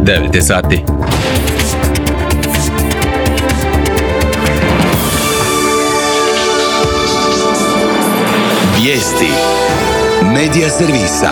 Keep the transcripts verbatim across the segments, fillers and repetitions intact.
devet je sati. Vijesti Medija servisa.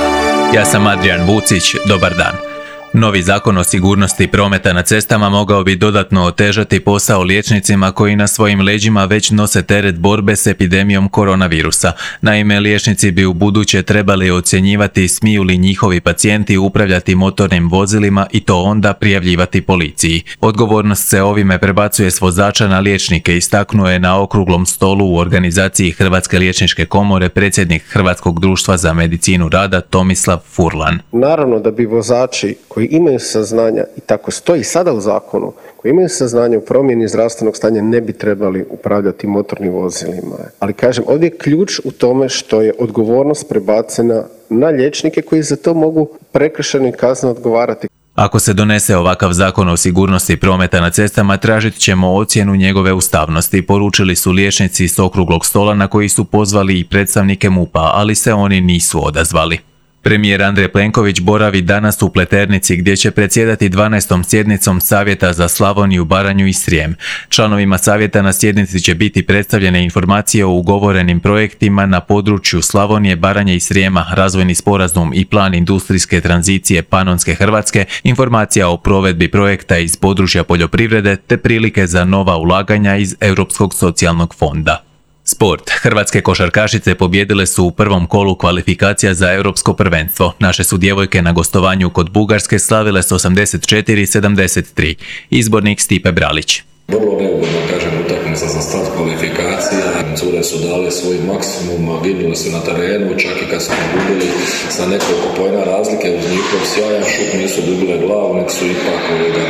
Ja sam Adrian Vucić, dobar dan. Novi zakon o sigurnosti prometa na cestama mogao bi dodatno otežati posao liječnicima koji na svojim leđima već nose teret borbe s epidemijom koronavirusa. Naime, liječnici bi u buduće trebali ocjenjivati smiju li njihovi pacijenti upravljati motornim vozilima i to onda prijavljivati policiji. Odgovornost se ovime prebacuje s vozača na liječnike, istaknuo je na okruglom stolu u organizaciji Hrvatske liječničke komore predsjednik Hrvatskog društva za medicinu rada Tomislav Furlan. Naravno da bi vozači koji imaju saznanja, i tako stoji sada u zakonu, koji imaju saznanje u promjeni zdravstvenog stanja ne bi trebali upravljati motornim vozilima. Ali kažem, ovdje je ključ u tome što je odgovornost prebacena na liječnike koji za to mogu prekršajno i kazneno odgovarati. Ako se donese ovakav zakon o sigurnosti prometa na cestama, tražit ćemo ocjenu njegove ustavnosti, poručili su liječnici s okruglog stola na koji su pozvali i predstavnike MUP-a, ali se oni nisu odazvali. Premijer Andrej Plenković boravi danas u Pleternici gdje će predsjedati dvanaestom sjednicom Savjeta za Slavoniju, Baranju i Srijem. Članovima savjeta na sjednici će biti predstavljene informacije o ugovorenim projektima na području Slavonije, Baranje i Srijema, razvojni sporazum i plan industrijske tranzicije Panonske Hrvatske, informacija o provedbi projekta iz područja poljoprivrede te prilike za nova ulaganja iz Europskog socijalnog fonda. Sport. Hrvatske košarkašice pobijedile su u prvom kolu kvalifikacija za europsko prvenstvo. Naše su djevojke na gostovanju kod Bugarske slavile s osamdeset četiri sedamdeset tri. Izbornik Stipe Bralić. Vrlo neugodno, kažem, utakmica za start kvalifikacija. Cure su dale svoj maksimum, ginuli su na terenu, čak i kad su gubili sa nekoliko pojena razlike uz njihov sjajan šut, nisu dobile glavu, nek su ipak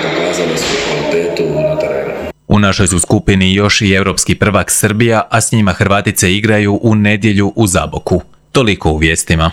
pokazali svoju kvalitetu na terenu. U našoj su skupini još i europski prvak Srbija, a s njima Hrvatice igraju u nedjelju u Zaboku. Toliko u vijestima.